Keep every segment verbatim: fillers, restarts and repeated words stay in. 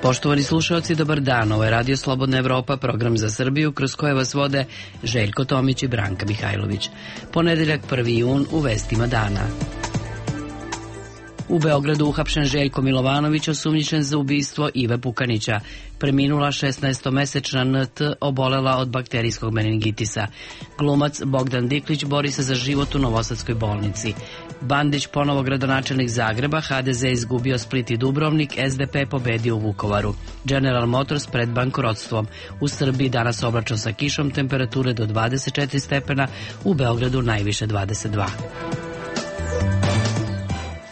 Poštovani slušalci, dobar dan. Ovo je Radio Slobodna Evropa, program za Srbiju, kroz koje vas vode Željko Tomić i Branka Mihajlović. Ponedeljak prvi jun u vestima dana. U Beogradu uhapšen Željko Milovanović, osumnjičen za ubistvo Ive Pukanića. Preminula šesnaestomesečna N T obolela od bakterijskog meningitisa. Glumac Bogdan Diklić bori se za život u Novosadskoj bolnici. Bandić ponovo gradonačelnik Zagreba, H D Z izgubio Split i Dubrovnik, S D P pobedio u Vukovaru. General Motors pred bankrotstvom. U Srbiji danas oblačno sa kišom, temperature do dvadeset četiri stepena, u Beogradu najviše dvadeset dva.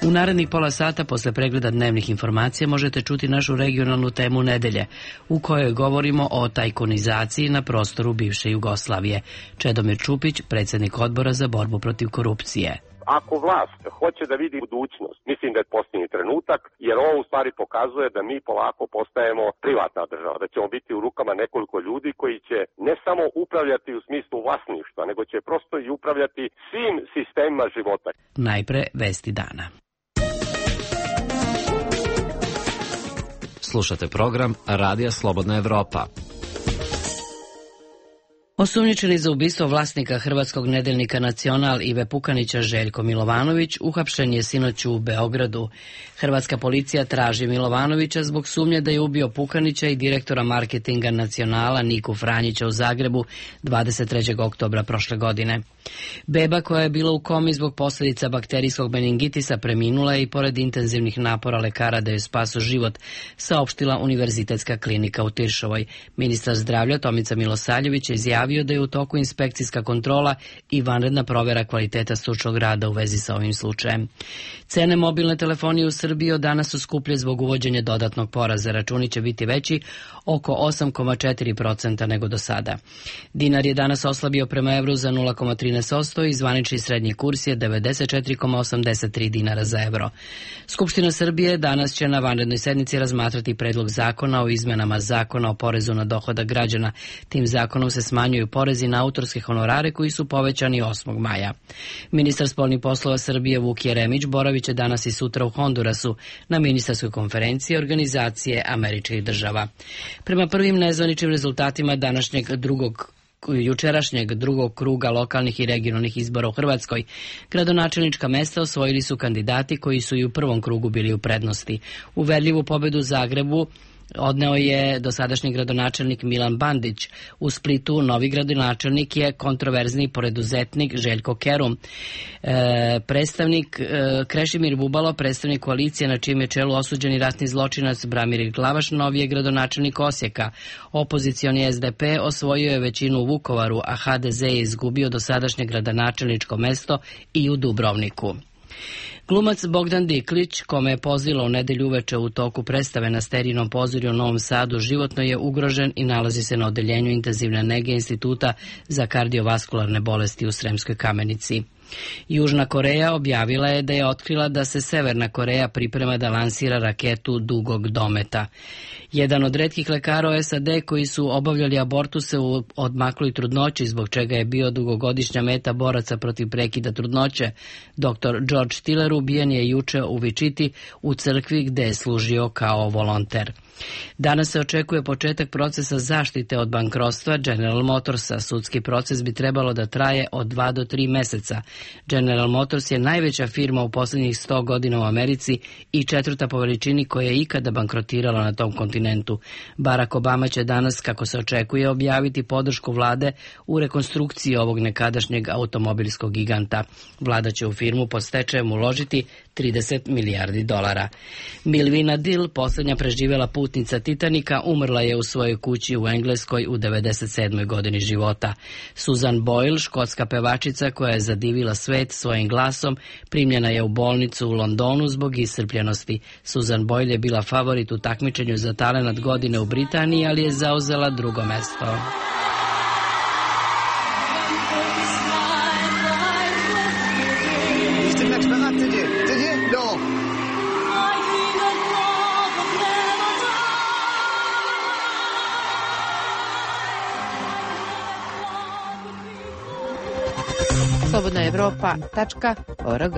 U narednih pola sata posle pregleda dnevnih informacija možete čuti našu regionalnu temu nedelje, u kojoj govorimo o tajkunizaciji na prostoru bivše Jugoslavije. Čedomir Čupić, predsjednik odbora za borbu protiv korupcije. Ako vlast hoće da vidi budućnost, mislim da je posljednji trenutak, jer ovo u stvari pokazuje da mi polako postajemo privatna država, da ćemo biti u rukama nekoliko ljudi koji će ne samo upravljati u smislu vlasništva, nego će prosto i upravljati svim sistemima života. Najpre vesti dana. Slušate program Radija Slobodna Evropa. Osumnjičeni za ubistvo vlasnika hrvatskog nedeljnika Nacional Ive Pukanića Željko Milovanović uhapšen je sinoć u Beogradu. Hrvatska policija traži Milovanovića zbog sumnje da je ubio Pukanića i direktora marketinga Nacionala Niku Franjića u Zagrebu dvadeset trećeg oktobra prošle godine. Beba koja je bila u komi zbog posljedica bakterijskog meningitisa preminula je i pored intenzivnih napora lekara da joj spasu život, saopštila Univerzitetska klinika u Tiršovoj. Ministar zdravlja Tomica Milosavljević je izjavio da je u toku inspekcijska kontrola i vanredna provjera kvaliteta stručnog rada u vezi sa ovim slučajem. Cene mobilne telefonije u Srbiji od danas su skuplje zbog uvođenja dodatnog poreza. Računi će biti veći oko osam zarez četiri posto nego do sada. Dinar je danas oslabio prema evru za nula zarez trinaest posto i zvanični srednji kurs je devedeset četiri zarez osamdeset tri dinara za evro. Skupština Srbije danas će na vanrednoj sednici razmatrati predlog zakona o izmenama zakona o porezu na dohodak građana. Tim zakonom se smanjuju porezi na autorske honorare koji su povećani osmog maja. Ministar spoljnih poslova Srbije Vuk Jeremić boravit će danas i sutra u Hondurasu na ministarskoj konferenciji Organizacije američkih država. Prema prvim nezvaničnim rezultatima današnjeg drugog jučerašnjeg drugog kruga lokalnih i regionalnih izbora u Hrvatskoj, gradonačelnička mesta osvojili su kandidati koji su i u prvom krugu bili u prednosti. Uverljivu pobedu u Zagrebu odneo je dosadašnji gradonačelnik Milan Bandić. U Splitu novi gradonačelnik je kontroverzni preduzetnik Željko Kerum. E, predstavnik e, Krešimir Bubalo, predstavnik koalicije na čijem je čelu osuđeni ratni zločinac Bramir Glavaš, novi je gradonačelnik Osijeka. Opozicioni S D P osvojio je većinu u Vukovaru, a H D Z je izgubio dosadašnje gradonačelničko mesto i u Dubrovniku. Glumac Bogdan Diklić, kome je pozlilo u nedelju uveče u toku predstave na Sterinom pozorju u Novom Sadu, životno je ugrožen i nalazi se na odeljenju intenzivne nege Instituta za kardiovaskularne bolesti u Sremskoj Kamenici. Južna Koreja objavila je da je otkrila da se Severna Koreja priprema da lansira raketu dugog dometa. Jedan od retkih lekara u S A D koji su obavljali abortuse u odmakloj trudnoći, zbog čega je bio dugogodišnja meta boraca protiv prekida trudnoće, doktor George Tiller, ubijen je juče u Vičiti u crkvi gde je služio kao volonter. Danas se očekuje početak procesa zaštite od bankrotstva General Motorsa. Sudski proces bi trebalo da traje od dva do tri meseca. General Motors je najveća firma u posljednjih sto godina u Americi i četvrta po veličini koja je ikada bankrotirala na tom kontinentu. Barack Obama će danas, kako se očekuje, objaviti podršku vlade u rekonstrukciji ovog nekadašnjeg automobilskog giganta. Vlada će u firmu pod stečajem uložiti trideset milijardi dolara. Milvina Dill, posljednja preživjela putnica Titanika, umrla je u svojoj kući u Engleskoj u devedeset sedmoj godini života. Susan Boyle, škotska pevačica koja je zadivila svet svojim glasom, primljena je u bolnicu u Londonu zbog iscrpljenosti. Susan Boyle je bila favorit u takmičenju za talenat godine u Britaniji, ali je zauzela drugo mesto. slobodna evropa tačka org.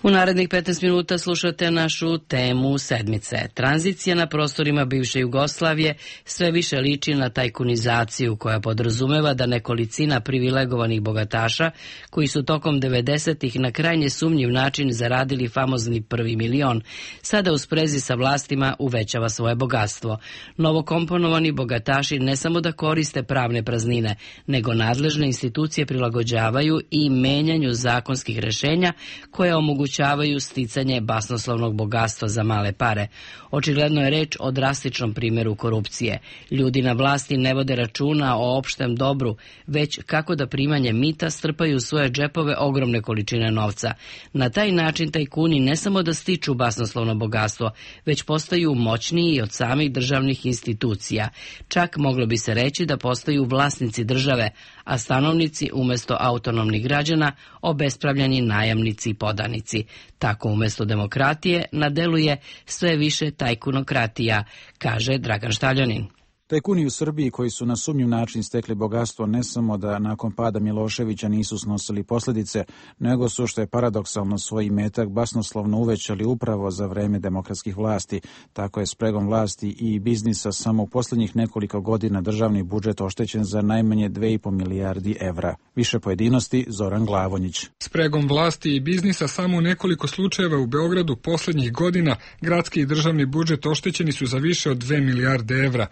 U narednih petnaest minuta slušate našu temu sedmice. Tranzicija na prostorima bivše Jugoslavije sve više liči na tajkunizaciju koja podrazumeva da nekolicina privilegovanih bogataša koji su tokom devedesetih na krajnje sumnjiv način zaradili famozni prvi milion, sada u sprezi sa vlastima uvećava svoje bogatstvo. Novokomponovani bogataši ne samo da koriste pravne praznine, nego nadležne institucije prilagođavaju i menjanju zakonskih rešenja koje omogućavaju sticanje basnoslovnog bogatstva za male pare. Očigledno je reč o drastičnom primjeru korupcije. Ljudi na vlasti ne vode računa o opštem dobru, već kako da primanje mita strpaju u svoje džepove ogromne količine novca. Na taj način tajkuni ne samo da stiču basnoslovno bogatstvo, već postaju moćniji od samih državnih institucija. Čak moglo bi se reći da postaju vlasnici države, a stanovnici umjesto autonomnih građana obespravljeni najamnici i podanici. Tako umjesto demokratije na delu je sve više tajkunokratija, kaže Dragan Štaljanin. Tajkuni u Srbiji koji su na sumnjiv način stekli bogatstvo ne samo da nakon pada Miloševića nisu snosili posljedice, nego su, što je paradoksalno, svoj imetak basnoslovno uvećali upravo za vreme demokratskih vlasti. Tako je spregom vlasti i biznisa samo u posljednjih nekoliko godina državni budžet oštećen za najmanje dve i po milijardi evra. Više pojedinosti Zoran Glavonjić. Spregom vlasti i biznisa samo u nekoliko slučajeva u Beogradu posljednjih godina gradski i državni budžet oštećeni su za više od dve milijarde evra.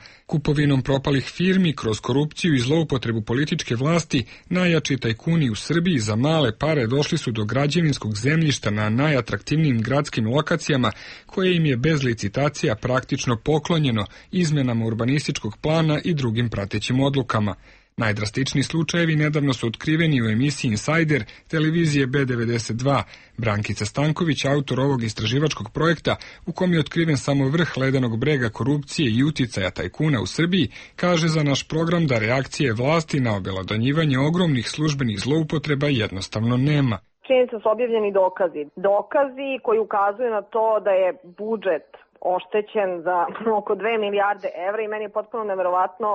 Kupovinom propalih firmi kroz korupciju i zloupotrebu političke vlasti, najjači tajkuni u Srbiji za male pare došli su do građevinskog zemljišta na najatraktivnijim gradskim lokacijama, koje im je bez licitacija praktično poklonjeno izmenama urbanističkog plana i drugim pratećim odlukama. Najdrastičniji slučajevi nedavno su otkriveni u emisiji Insider televizije B devedeset dva. Brankica Stanković, autor ovog istraživačkog projekta, u kom je otkriven samo vrh ledenog brega korupcije i uticaja tajkuna u Srbiji, kaže za naš program da reakcije vlasti na obelodanjivanje ogromnih službenih zloupotreba jednostavno nema. Činjenica su objavljeni dokazi. Dokazi koji ukazuju na to da je budžet oštećen za oko dve milijarde evra i meni je potpuno neverovatno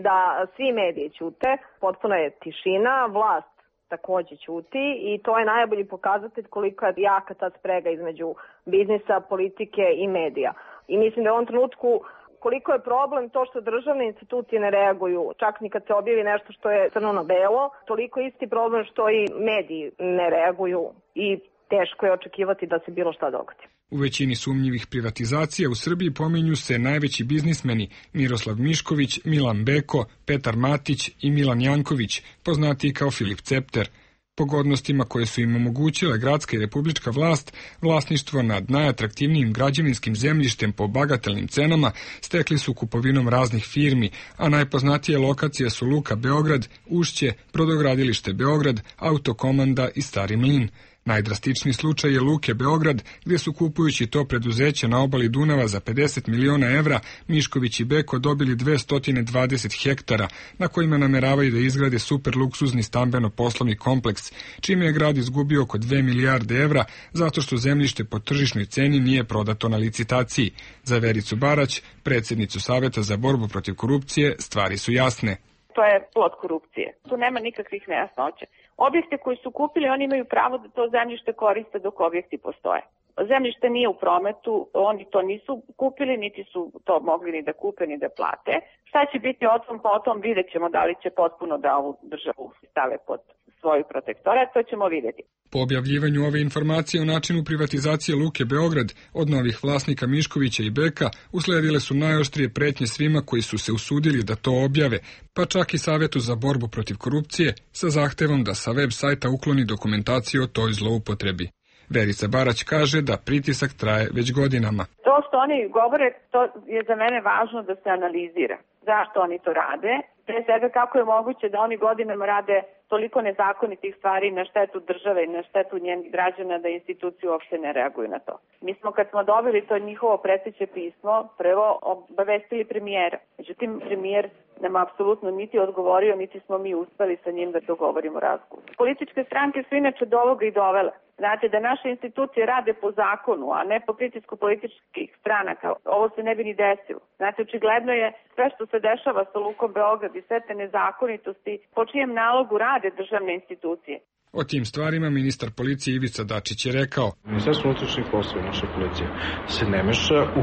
da svi mediji ćute, potpuno je tišina, vlast također ćuti i to je najbolji pokazatelj koliko je jaka ta sprega između biznisa, politike i medija. I mislim da u ovom trenutku koliko je problem to što državne institucije ne reaguju, čak ni kad se objavi nešto što je crno na belo, toliko isti problem što i mediji ne reaguju i teško je očekivati da se bilo šta dogodi. U većini sumnjivih privatizacija u Srbiji pominju se najveći biznismeni Miroslav Mišković, Milan Beko, Petar Matić i Milan Janković, poznatiji kao Filip Cepter. Pogodnostima koje su im omogućile gradska i republička vlast, vlasništvo nad najatraktivnijim građevinskim zemljištem po bagatelnim cenama stekli su kupovinom raznih firmi, a najpoznatije lokacije su Luka Beograd, Ušće, Brodogradilište Beograd, Autokomanda i Stari Mlin. Najdrastičniji slučaj je Luke Beograd, gdje su kupujući to preduzeće na obali Dunava za pedeset miliona evra, Mišković i Beko dobili dvesta dvadeset hektara, na kojima nameravaju da izgrade super luksuzni stambeno-poslovni kompleks, čime je grad izgubio oko dve milijarde evra, zato što zemljište po tržišnoj ceni nije prodato na licitaciji. Za Vericu Barać, predsjednicu Saveta za borbu protiv korupcije, stvari su jasne. To je plod korupcije. Tu nema nikakvih nejasnoća. Objekte koji su kupili, oni imaju pravo da to zemljište koriste dok objekti postoje. Zemljište nije u prometu, oni to nisu kupili, niti su to mogli ni da kupe, ni da plate. Šta će biti o tom, po tom vidjet ćemo da li će potpuno da ovu državu stave pod svoju protektorat, to ćemo vidjeti. Po objavljivanju ove informacije o načinu privatizacije Luke Beograd od novih vlasnika Miškovića i Beka usledile su najoštrije pretnje svima koji su se usudili da to objave, pa čak i Savetu za borbu protiv korupcije sa zahtevom da sa web sajta ukloni dokumentaciju o toj zloupotrebi. Verica Barać kaže da pritisak traje već godinama. To što oni govore, to je za mene važno da se analizira. Zašto oni to rade? Pre svega kako je moguće da oni godinama rade toliko nezakonitih stvari na štetu države i na štetu njenih građana da institucije uopšte ne reaguju na to. Mi smo kad smo dobili to njihovo preteće pismo, prvo obavestili premijera. Međutim, premijer nam apsolutno niti odgovorio, niti smo mi uspeli sa njim da dogovorimo razgovor. Političke stranke su inače do ovoga i dovele. Znate, da naše institucije rade po zakonu, a ne po pritisku političkih stranaka. Ovo se ne bi ni desilo. Znate, očigledno je sve što se dešava sa Lukom Beograd i sve te nezakonitosti, po čijem nalogu rade državne institucije. O tim stvarima ministar policije Ivica Dačić je rekao: Ministarstvo unutrašnjih poslova, naša policija, se ne meša u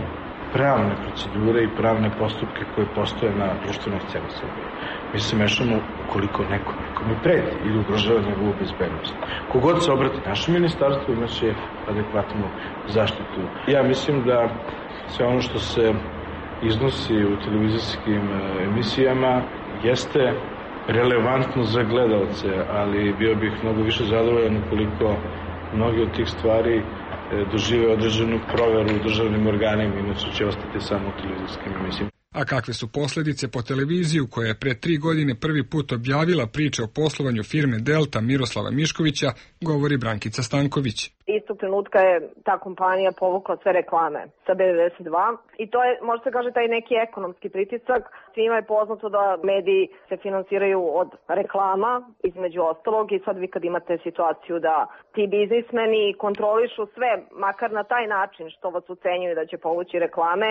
pravne procedure i pravne postupke koje postoje na društvenoj sceni Srbije. Mi se mešamo ukoliko neko nekome preti ili ugrožava njegovu bezbednost. Kogod se obrati naše ministarstvo imaće adekvatnu zaštitu. Ja mislim da sve ono što se iznosi u televizijskim emisijama jeste relevantno za gledalce, ali bio bih mnogo više zadovoljan ukoliko mnogi od tih stvari dožive određenu proveru u državnim organima, inače će ostati samo u televizijskim emisijama. A kakve su posljedice po televiziju koja je pre tri godine prvi put objavila priče o poslovanju firme Delta Miroslava Miškovića, govori Brankica Stanković. Istog trenutka je ta kompanija povukla sve reklame sa B devedeset dva i to je, može se kaže, taj neki ekonomski pritisak. Svima je poznato da mediji se finansiraju od reklama, između ostalog, i sad vi kad imate situaciju da ti biznismeni kontrolišu sve, makar na taj način što vas ucenjuju da će povući reklame,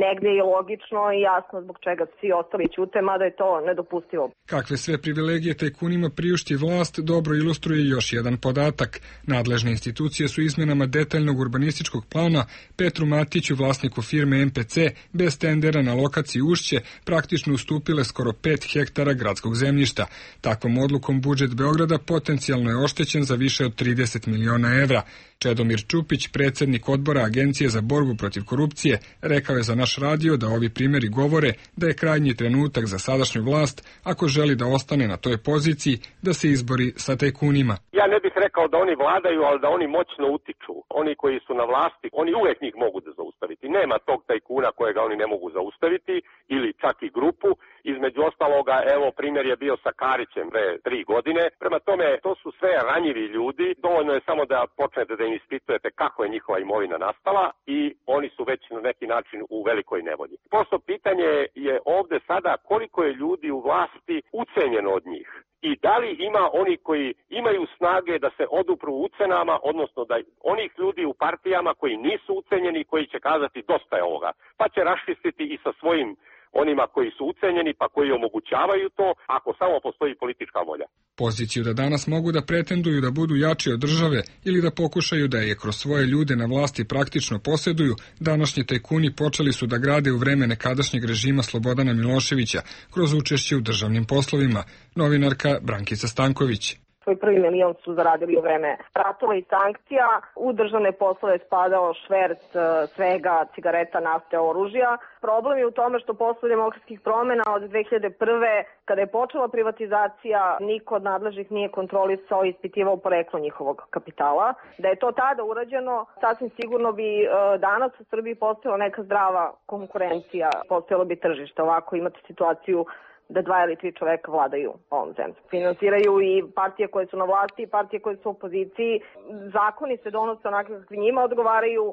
negdje je logično i jasno zbog čega svi ostali ćute, mada je to nedopustivo. Kakve sve privilegije tajkunima priušti vlast dobro ilustruje još jedan podatak. Nadležne institucije su izmenama detaljnog urbanističkog plana Petru Matiću, vlasniku firme M P C, bez tendera na lokaciji Ušće, praktično ustupile skoro pet hektara gradskog zemljišta. Takvom odlukom budžet Beograda potencijalno je oštećen za više od trideset miliona evra. Čedomir Čupić, predsjednik odbora Agencije za borbu protiv korupcije, rekao je za naš radio da ovi primjeri govore da je krajnji trenutak za sadašnju vlast, ako želi da ostane na toj poziciji, da se izbori sa tajkunima. Ja ne bih rekao da oni vladaju, ali da oni moćno utiču. Oni koji su na vlasti, oni uvijek njih mogu da zaustaviti. Nema tog tajkuna kojega oni ne mogu zaustaviti, ili čak i grupu. Između ostaloga, evo, primjer je bio sa Karićem pre tri godine. Prema tome, to su sve ranjivi ljudi. Dovoljno je samo da počnete da im ispitujete kako je njihova imovina nastala i oni su već na neki način u velikoj nevolji. Prosto pitanje je ovdje sada koliko je ljudi u vlasti ucenjeno od njih. I da li ima oni koji imaju snage da se odupru ucenama, odnosno da onih ljudi u partijama koji nisu ucenjeni, koji će kazati dosta je ovoga, pa će raščistiti i sa svojim onima koji su ucenjeni, pa koji omogućavaju to, ako samo postoji politička volja. Poziciju da danas mogu da pretenduju da budu jači od države ili da pokušaju da je kroz svoje ljude na vlasti praktično posjeduju, današnji tajkuni počeli su da grade u vreme nekadašnjeg režima Slobodana Miloševića kroz učešće u državnim poslovima. Novinarka Brankica Stanković. Svoj prvi milion su zaradili u vreme ratova i sankcija. U državne poslove spadao šverc svega, cigareta, nafte, oružja. Problem je u tome što posle demokratskih promjena od dve hiljade prve. kada je počela privatizacija, niko od nadležnih nije kontrolisao i ispitivao poreklo njihovog kapitala. Da je to tada urađeno, sasvim sigurno bi danas u Srbiji postojala neka zdrava konkurencija, postojalo bi tržište. Ovako imate situaciju da dva ili tri čoveka vladaju ovom zemljom. Finansiraju i partije koje su na vlasti i partije koje su u opoziciji. Zakoni se donose onako kakvi njima odgovaraju,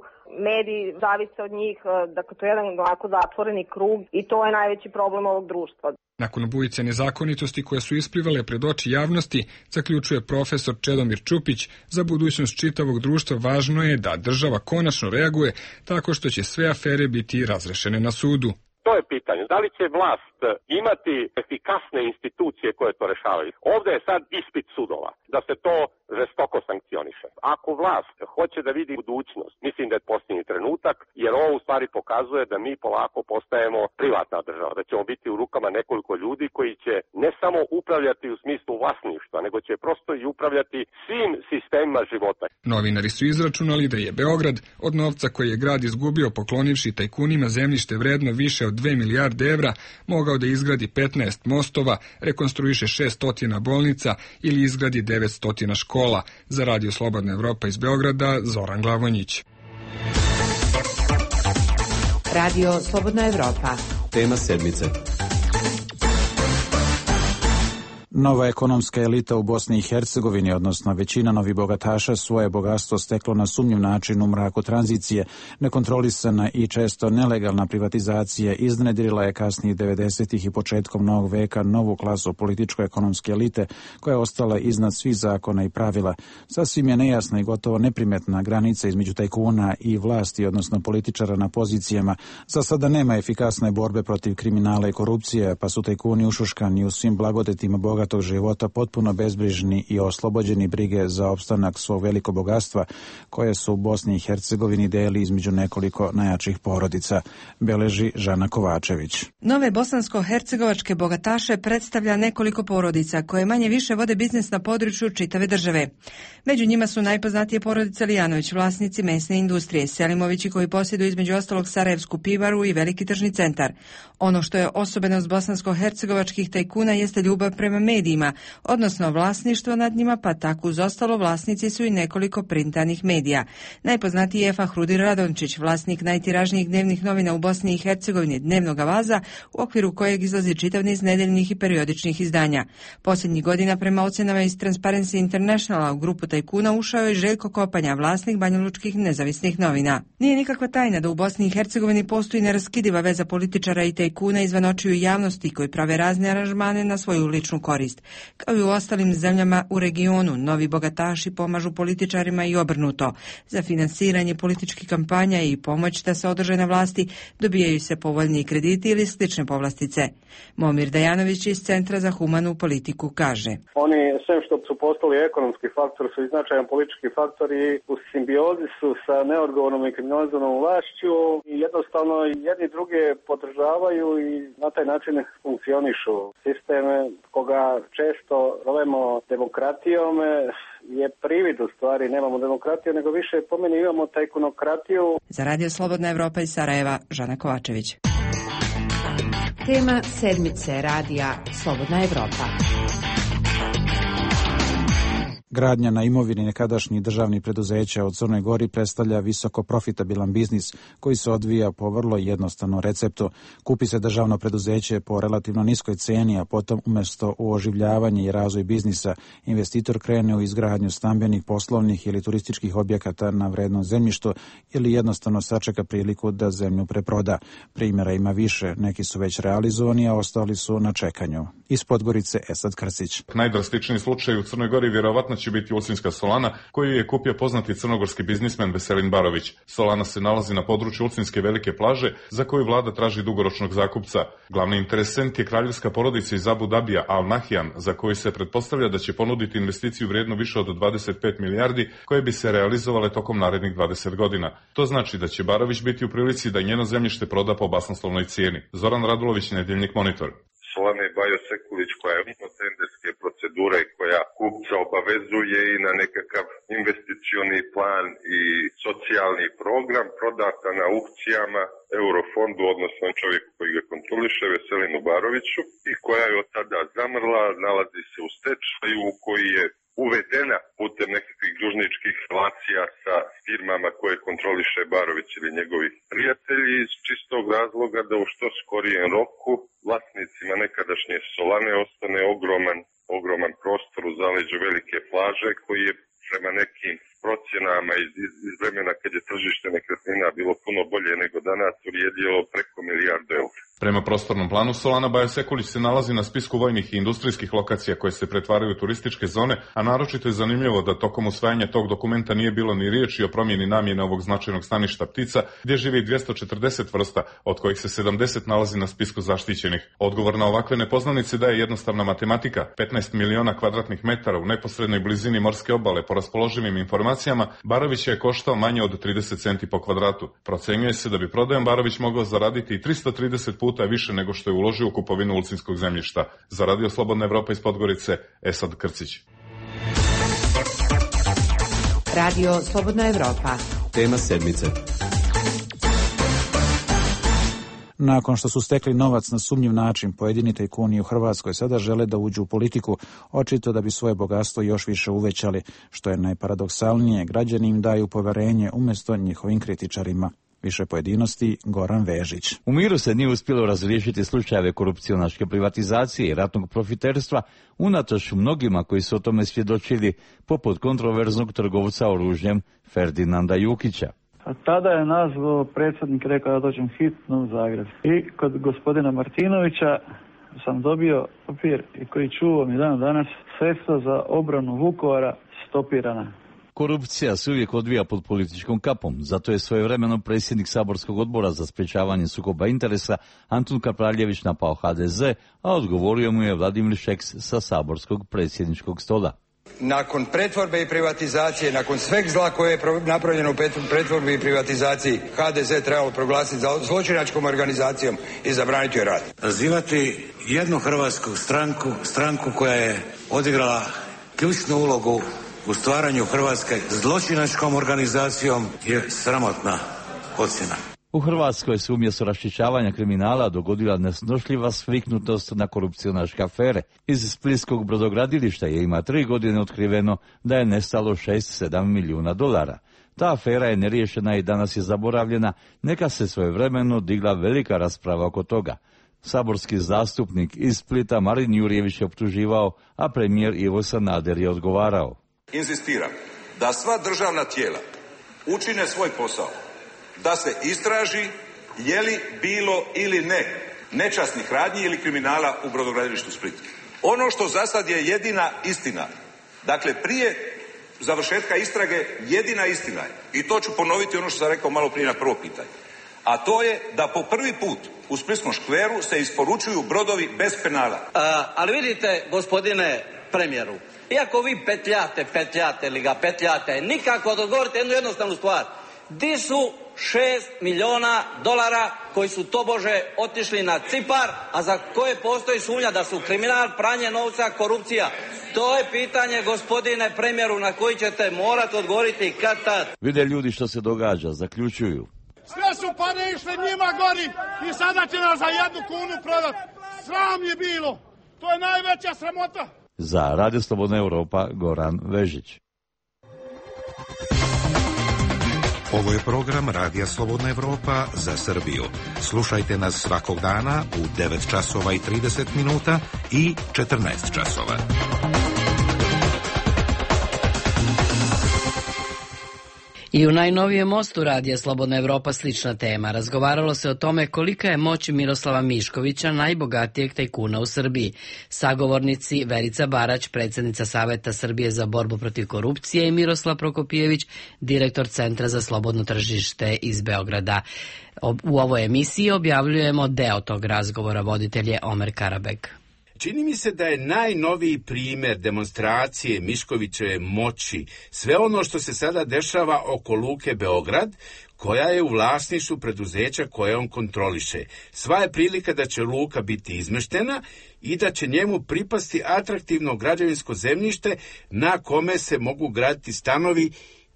mediji zavise od njih, dakle to je jedan onako zatvoreni krug i to je najveći problem ovog društva. Nakon bujice nezakonitosti koje su isplivale pred oči javnosti, zaključuje profesor Čedomir Čupić, za budućnost čitavog društva važno je da država konačno reaguje tako što će sve afere biti razrešene na sudu. To je pitanje. Da li će vlast imati efikasne institucije koje to rešavaju? Ovdje je sad ispit sudova, da se to žestoko sankcioniše. Ako vlast hoće da vidi budućnost, mislim da je posljednji trenutak, jer ovo u stvari pokazuje da mi polako postajemo privatna država, da ćemo biti u rukama nekoliko ljudi koji će ne samo upravljati u smislu vlasništva, nego će prosto i upravljati svim sistemima života. Novinari su izračunali da je Beograd od novca koji je grad izgubio poklonivši tajkunima zemljište vredno više od dve milijarde evra, mogao da izgradi petnaest mostova, rekonstruiše šesnaest bolnica ili izgradi devetsto škola. Za Radio Slobodna Evropa iz Beograda, Zoran Glavonjić. Radio Slobodna Evropa. Tema sedmice. Nova ekonomska elita u Bosni i Hercegovini, odnosno većina novih bogataša, svoje bogatstvo steklo na sumnjiv način u mraku tranzicije. Nekontrolisana i često nelegalna privatizacija iznedrila je kasnijih devedesetih i početkom novog veka novu klasu političko-ekonomske elite koja je ostala iznad svih zakona i pravila. Sasvim je nejasna i gotovo neprimetna granica između tajkuna i vlasti, odnosno političara na pozicijama. Za sada nema efikasne borbe protiv kriminala i korupcije, pa su tajkuni ušuškani u svim blagodetima boga bogatog života, potpuno bezbrižni i oslobođeni brige za opstanak svog velikog bogatstva koje su u Bosni i Hercegovini deli između nekoliko najjačih porodica, beleži Žana Kovačević. Nove bosansko-hercegovačke bogataše predstavlja nekoliko porodica koje manje više vode biznis na području čitave države. Među njima su najpoznatije porodice Lijanović, vlasnici mesne industrije, Selimovići koji posjeduju između ostalog Sarajevsku pivaru i veliki tržni centar. Ono što je osobenost bosansko-hercegovačkih tajkuna jeste ljubav prema medijima, odnosno vlasništvo nad njima, pa tako uz ostalo vlasnici su i nekoliko printanih medija. Najpoznatiji je Fahrudir Radončić, vlasnik najtiražnijih dnevnih novina u Bosni i Hercegovini, Dnevnog Avaza, u okviru kojeg izlazi čitav niz nedeljnih i periodičnih izdanja. Posljednjih godina prema ocenama iz Transparency Internationala u grupu tajkuna ušao je Željko Kopanja, vlasnik banjalučkih nezavisnih novina. Nije nikakva tajna da u Bosni i Hercegovini postoji neraskidiva veza političara i tajkuna izvan očiju javnosti koji prave razne aranžmane na svoju ličnu korist. Kao i u ostalim zemljama u regionu, novi bogataši pomažu političarima i obrnuto. Za finansiranje političkih kampanja i pomoć da se održe na vlasti dobijaju se povoljniji krediti ili slične povlastice. Momir Dajanović iz Centra za humanu politiku kaže: Oni, sve što su postali ekonomski faktor, su i značajan politički faktor i u simbiozi su sa neodgovornom i kriminalizovanom vlašću i jednostavno jedni druge podržavaju i na taj način funkcionišu. Sisteme koga često zovemo demokratijom je privid u stvari, nemamo demokratiju, nego više po meni imamo tajkunokratiju. Za Radio Slobodna Evropa iz Sarajeva, Žana Kovačević. Tema sedmice radija Slobodna Evropa. Gradnja na imovini nekadašnjih državnih preduzeća u Crnoj Gori predstavlja visoko profitabilan biznis koji se odvija po vrlo jednostavnom receptu. Kupi se državno preduzeće po relativno niskoj ceni, a potom umjesto u oživljavanje i razvoj biznisa, investitor krene u izgradnju stambenih, poslovnih ili turističkih objekata na vrednom zemljištu ili jednostavno sačeka priliku da zemlju preproda. Primjera ima više, neki su već realizovani, a ostali su na čekanju. Iz Podgorice Esad Krsić. Najdrastičniji slučaj u Crnoj Gori vjerovatno će biti Ulcinska Solana, koju je kupio poznati crnogorski biznismen Veselin Barović. Solana se nalazi na području Ulcinske velike plaže, za koju vlada traži dugoročnog zakupca. Glavni interesent je kraljevska porodica iz Abu Dabija Al Nahyan, za koju se pretpostavlja da će ponuditi investiciju vrijednu više od dvadeset pet milijardi, koje bi se realizovale tokom narednih dvadeset godina. To znači da će Barović biti u prilici da njeno zemljište proda po basnoslovnoj cijeni. Zoran Radulović, Nedjeljnik Monitor. Solana Bajo Sekulić, koja je mimo tenderske procedure, koja kupca obavezuje i na nekakav investicioni plan i socijalni program, prodata na aukcijama Eurofondu, odnosno čovjeku koji ga kontroliše, Veselinu Baroviću, i koja je od tada zamrla, nalazi se u stečaju, koji je uvedena putem nekakvih dužničkih relacija sa firmama koje kontroliše Barović ili njegovi prijatelji, iz čistog razloga da u što skorijem roku vlasnicima nekadašnje Solane ostane ogroman, ogroman prostor u zaleđu velike plaže, koji je prema nekim procjenama iz, iz vremena kad je tržište nekretnina bilo puno bolje nego danas, vrijedilo preko milijardu eura. Prema prostornom planu Solana Bajo Sekulić se nalazi na spisku vojnih i industrijskih lokacija koje se pretvaraju u turističke zone, a naročito je zanimljivo da tokom usvajanja tog dokumenta nije bilo ni riječi o promjeni namjene ovog značajnog staništa ptica, gdje živi dvjesto četrdeset vrsta, od kojih se sedamdeset nalazi na spisku zaštićenih. Odgovor na ovakve nepoznanice daje jednostavna matematika. petnaest miliona kvadratnih metara u neposrednoj blizini morske obale, po raspoloživim informacijama, Barović je koštao manje od trideset centi po kvadratu. Procenjuje se da bi prodajom Barović mogao zaraditi i tristo trideset puta više nego što je uložio u kupovinu ulcinskog zemljišta. Za Radio Slobodna Evropa iz Podgorice, Esad Krcić. Radio Slobodna Evropa. Tema sedmice. Nakon što su stekli novac na sumnjiv način, pojedini tajkuni u Hrvatskoj sada žele da uđu u politiku, očito da bi svoje bogatstvo još više uvećali. Što je najparadoksalnije, građani im daju poverenje umjesto njihovim kritičarima. Više pojedinosti, Goran Vežić. U miru se nije uspjelo razriješiti slučajeve korupcionaške privatizacije i ratnog profiterstva, unatoč mnogima koji su o tome svjedočili, poput kontroverznog trgovca oružjem Ferdinanda Jukića. A tada je nas predsjednik rekao da dođem hitno u Zagreb. I kod gospodina Martinovića sam dobio papir i koji čuvam i dan danas, sredstva za obranu Vukovara stopirana. Korupcija se uvijek odvija pod političkom kapom, zato je svojevremeno predsjednik saborskog odbora za sprječavanje sukoba interesa Antun Kapraljević napao ha de ze, a odgovorio mu je Vladimir Šeks sa saborskog predsjedničkog stola. Nakon pretvorbe i privatizacije, nakon sveg zla koje je napravljeno u pretvorbi i privatizaciji, ha de ze trebalo proglasiti za zločinačkom organizacijom i zabraniti joj rad. Nazivati jednu hrvatsku stranku, stranku koja je odigrala ključnu ulogu u stvaranju Hrvatske zločinačkom organizacijom je sramotna ocjena. U Hrvatskoj se umjesto raščišćavanja kriminala dogodila nesnošljiva sviknutost na korupcionaške afere. Iz splitskog brodogradilišta je ima tri godine otkriveno da je nestalo šest sedam milijuna dolara. Ta afera je neriješena i danas je zaboravljena, neka se svojevremeno digla velika rasprava oko toga. Saborski zastupnik iz Splita Marin Jurjević je optuživao, a premijer Ivo Sanader je odgovarao. Inzistiram da sva državna tijela učine svoj posao, da se istraži je li bilo ili ne nečasnih radnji ili kriminala u brodogradilištu Split. Ono što za sad je jedina istina, dakle prije završetka istrage jedina istina je, i to ću ponoviti ono što sam rekao malo prije na prvo pitanje, a to je da po prvi put u Splitskom škveru se isporučuju brodovi bez penala. A, ali vidite, gospodine premijeru, iako vi petljate, petljate ili ga petljate, nikako da odgovorite jednu jednostavnu stvar. Di su šest milijuna dolara koji su tobože otišli na Cipar, a za koje postoji sumnja da su kriminal, pranje novca, korupcija? To je pitanje, gospodine premijeru, na koji ćete morati odgovoriti kad tad. Vide ljudi što se događa, zaključuju. Sve su pare išle njima gori i sada će nas za jednu kunu prodati. Sram je bilo. To je najveća sramota. Za Radio Slobodna Europa, Goran Vežić. Ovo je program Radija Slobodna Evropa za Srbiju. Slušajte nas svakog dana u devet časova i trideset minuta i četrnaest časova. I u najnovijem mostu Radija Slobodna Evropa slična tema. Razgovaralo se o tome kolika je moć Miroslava Miškovića, najbogatijeg tajkuna u Srbiji. Sagovornici Verica Barać, predsjednica Saveta Srbije za borbu protiv korupcije, i Miroslav Prokopijević, direktor Centra za slobodno tržište iz Beograda. U ovoj emisiji objavljujemo deo tog razgovora, voditelj je Omer Karabek. Čini mi se da je najnoviji primjer demonstracije Miškovićeve moći sve ono što se sada dešava oko Luke Beograd, koja je u vlasništvu preduzeća koje on kontroliše. Sva je prilika da će luka biti izmeštena i da će njemu pripasti atraktivno građevinsko zemljište na kome se mogu graditi stanovi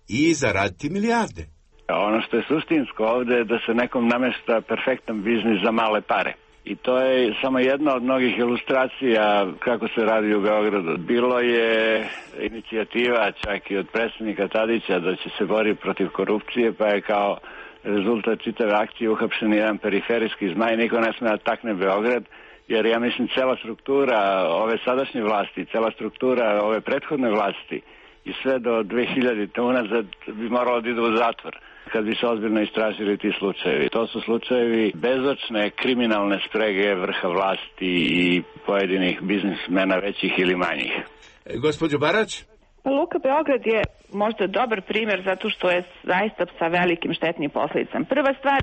i zaraditi milijarde. Ono što je suštinsko ovdje je da se nekom namešta perfektan biznis za male pare. I to je samo jedna od mnogih ilustracija kako se radi u Beogradu. Bilo je inicijativa čak i od predsjednika Tadića da će se boriti protiv korupcije, pa je kao rezultat čitave akcije uhapšen jedan periferijski zmaj. Niko ne sme da takne Beograd, jer ja mislim cela struktura ove sadašnje vlasti, cela struktura ove prethodne vlasti i sve do dve hiljadite unazad bi moralo da ide u zatvor kad bi se ozbiljno istražili ti slučajevi. To su slučajevi bezočne kriminalne sprege vrha vlasti i pojedinih biznismena većih ili manjih. E, gospođo Barać? Luka Beograd je možda dobar primjer zato što je zaista sa velikim štetnim posljedicama. Prva stvar,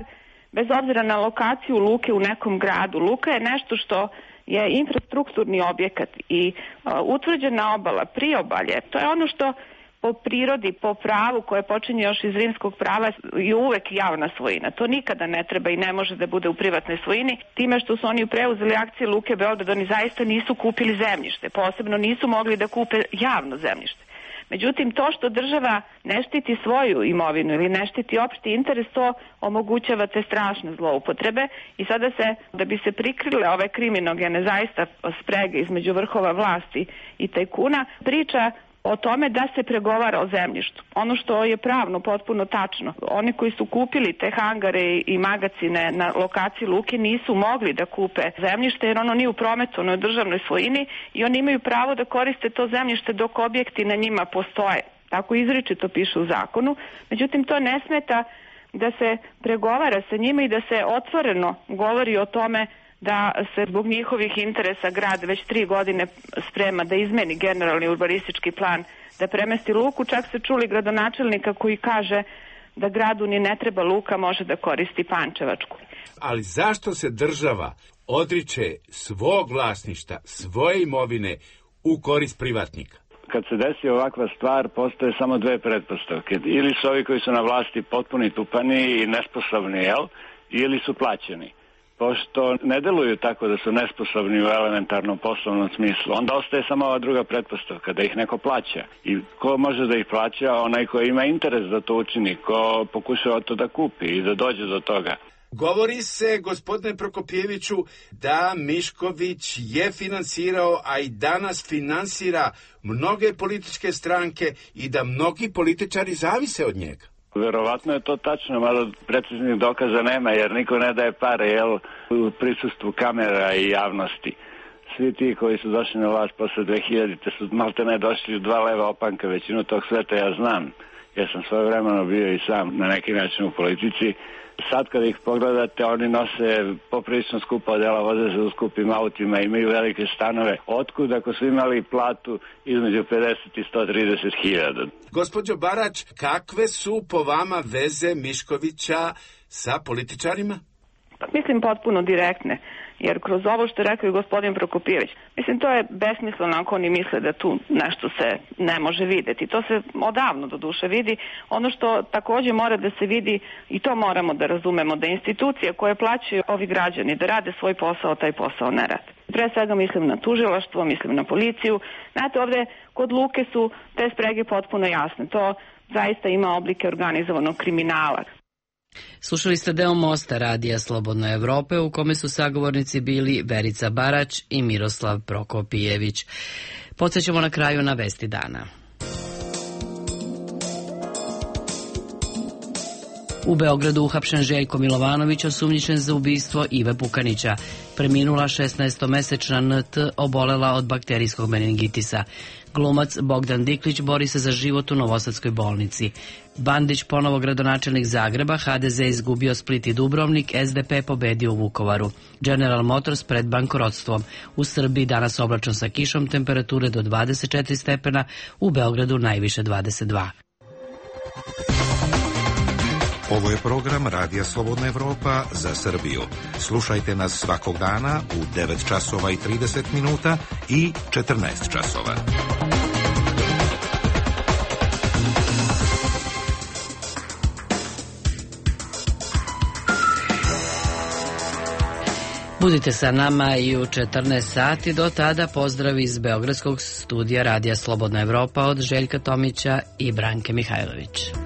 bez obzira na lokaciju luke u nekom gradu, luka je nešto što je infrastrukturni objekat i uh, utvrđena obala, priobalje, to je ono što po prirodi, po pravu koje počinje još iz rimskog prava je uvek javna svojina. To nikada ne treba i ne može da bude u privatnoj svojini. Time što su oni preuzeli akcije Luke Beograd, oni zaista nisu kupili zemljište. Posebno nisu mogli da kupe javno zemljište. Međutim, to što država ne štiti svoju imovinu ili ne štiti opšti interes, to omogućava te strašne zloupotrebe i sada se, da bi se prikrile ove kriminogene zaista sprege između vrhova vlasti i tajkuna, priča o tome da se pregovara o zemljištu. Ono što je pravno potpuno tačno. Oni koji su kupili te hangare i magacine na lokaciji luke nisu mogli da kupe zemljište jer ono nije u prometu, ono je u državnoj svojini i oni imaju pravo da koriste to zemljište dok objekti na njima postoje. Tako izričito piše u zakonu. Međutim, to ne smeta da se pregovara sa njima i da se otvoreno govori o tome da se zbog njihovih interesa grad već tri godine sprema da izmeni generalni urbanistički plan, da premesti luku. Čak se čuli gradonačelnika koji kaže da gradu ni ne treba luka, može da koristi Pančevačku. Ali zašto se država odriče svog vlasništa, svoje imovine u korist privatnika? Kad se desi ovakva stvar, postoje samo dve pretpostavke. Ili su ovi koji su na vlasti potpuni tupani i nesposobni, jel? Ili su plaćeni. Pošto ne deluju tako da su nesposobni u elementarnom poslovnom smislu, onda ostaje samo ova druga pretpostavka, da ih neko plaća. I ko može da ih plaća? Onaj ko ima interes da to učini, ko pokušava to da kupi i da dođe do toga. Govori se, gospodine Prokopijeviću, da Mišković je finansirao, a i danas finansira mnoge političke stranke i da mnogi političari zavise od njega. Verovatno je to tačno, malo preciznih dokaza nema, jer niko ne daje pare, jel, u prisustvu kamera i javnosti. Svi ti koji su došli na vlast posle dve hiljadite su malte ne došli u dva leva opanka, većinu tog sveta ja znam. Ja sam svoje vremeno bio i sam na neki način u politici. Sad kada ih pogledate, oni nose poprilično skupa odela, voze se u skupim autima, imaju velike stanove. Otkud ako su imali platu između pedeset i sto trideset hiljada? Gospođo Barać, kakve su po vama veze Miškovića sa političarima? Pa mislim potpuno direktne, jer kroz ovo što je rekao i gospodin Prokopijević, mislim to je besmisleno ako oni misle da tu nešto se ne može videti. To se odavno do duše vidi. Ono što također mora da se vidi, i to moramo da razumemo, da institucije koje plaćaju ovi građani da rade svoj posao, taj posao ne rade. Pre svega mislim na tužilaštvo, mislim na policiju. Znate, ovde kod Luke su te sprege potpuno jasne. To zaista ima oblike organizovanog kriminala. Slušali ste deo Mosta radija Slobodne Evrope u kome su sagovornici bili Verica Barać i Miroslav Prokopijević. Podsećamo na kraju na vesti dana. U Beogradu uhapšen Željko Milovanović, osumnjičen za ubistvo Ive Pukanića. Preminula šesnaestomesečna N T obolela od bakterijskog meningitisa. Glumac Bogdan Diklić bori se za život u Novosadskoj bolnici. Bandić ponovo gradonačelnik Zagreba, H D Z izgubio Split i Dubrovnik, S D P pobedio u Vukovaru. General Motors pred bankrotstvom. U Srbiji danas oblačno sa kišom, temperature do dvadeset četiri stepena, u Beogradu najviše dvadeset dva. Ovo je program Radija Slobodna Evropa za Srbiju. Slušajte nas svakog dana u devet časova i trideset minuta i četrnaest časova. Budite sa nama i u četrnaest sati. Do tada pozdrav iz Beogradskog studija Radija Slobodna Evropa od Željka Tomića i Branke Mihajlović.